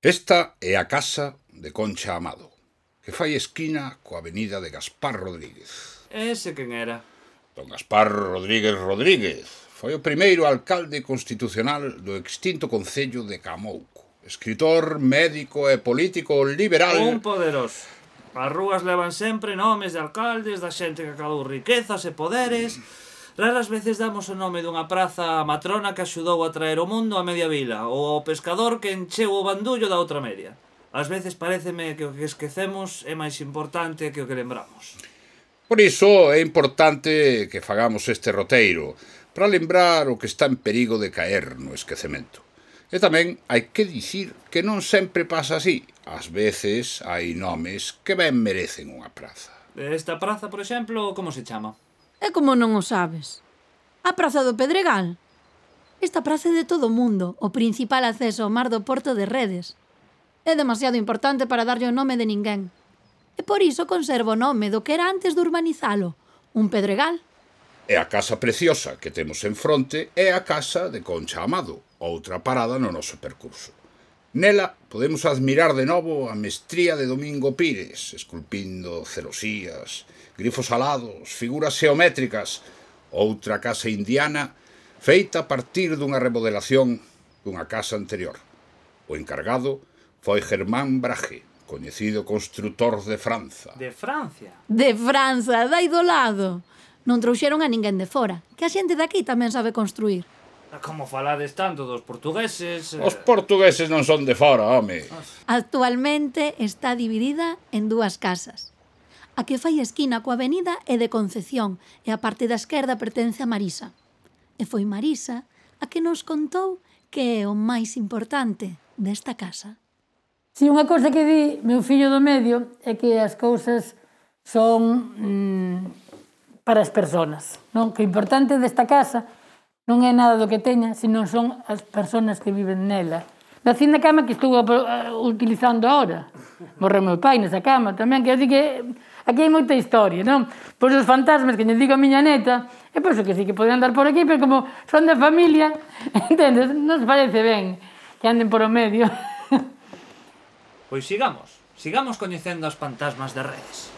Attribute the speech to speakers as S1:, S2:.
S1: Esta é a casa de Concha Amado, que fai esquina coa avenida de Gaspar Rodríguez.
S2: Ese quen era?
S1: Don Gaspar Rodríguez Rodríguez foi o primeiro alcalde constitucional do extinto concello de Camouco. Escritor, médico e político liberal.
S2: Un poderoso. As rúas levan sempre nomes de alcaldes, da xente que acadou riquezas e poderes. Raras veces damos o nome dunha praza á matrona que axudou a traer o mundo a media vila, ou ao pescador que encheu o bandullo da outra media. Ás veces paréceme que o que esquecemos é máis importante que o que lembramos.
S1: Por iso é importante que fagamos este roteiro, para lembrar o que está en perigo de caer no esquecemento. E tamén hai que dicir que non sempre pasa así. Ás veces hai nomes que ben merecen unha praza.
S2: Esta praza, por exemplo, como se chama?
S3: E como non o sabes? A Praza do Pedregal. Esta praza é de todo o mundo, o principal acceso ao mar do Porto de Redes. É demasiado importante para darlle o nome de ninguén. E por iso conserva o nome do que era antes de urbanizalo, un pedregal.
S1: E a casa preciosa que temos en fronte é a casa de Concha Amado, outra parada no noso percurso. Nela podemos admirar de novo a mestría de Domingo Pires, esculpindo celosías, grifos alados, figuras xeométricas, outra casa indiana feita a partir dunha remodelación dunha casa anterior. O encargado foi Germán Brahe, coñecido construtor de Franza.
S2: De Francia?
S3: De Franza, dai do lado. Non trouxeron a ninguén de fora, que a xente daqui tamén sabe construir.
S2: Como falades tanto dos portugueses...
S1: Os portugueses non son de fora, home.
S3: Actualmente está dividida en dúas casas. A que fai esquina coa avenida é de Concepción e a parte da esquerda pertence a Marisa. E foi Marisa a que nos contou que é o máis importante desta casa.
S4: Si unha cousa que di meu fillo do medio é que as cousas son para as persoas, non? Que o importante desta casa non é nada do que teña, sino son as persoas que viven nela. Da cinda cama que estou utilizando ahora. Morreu meu pai nesa cama tamén, que eu digo que aquí hai moita historia, non? Pois os fantasmas que lle digo a miña neta, e pois que sí que poden andar por aquí, pero como son da familia, entendes? Non se parece ben que anden por o medio.
S2: Pois sigamos coñecendo as fantasmas de Redes.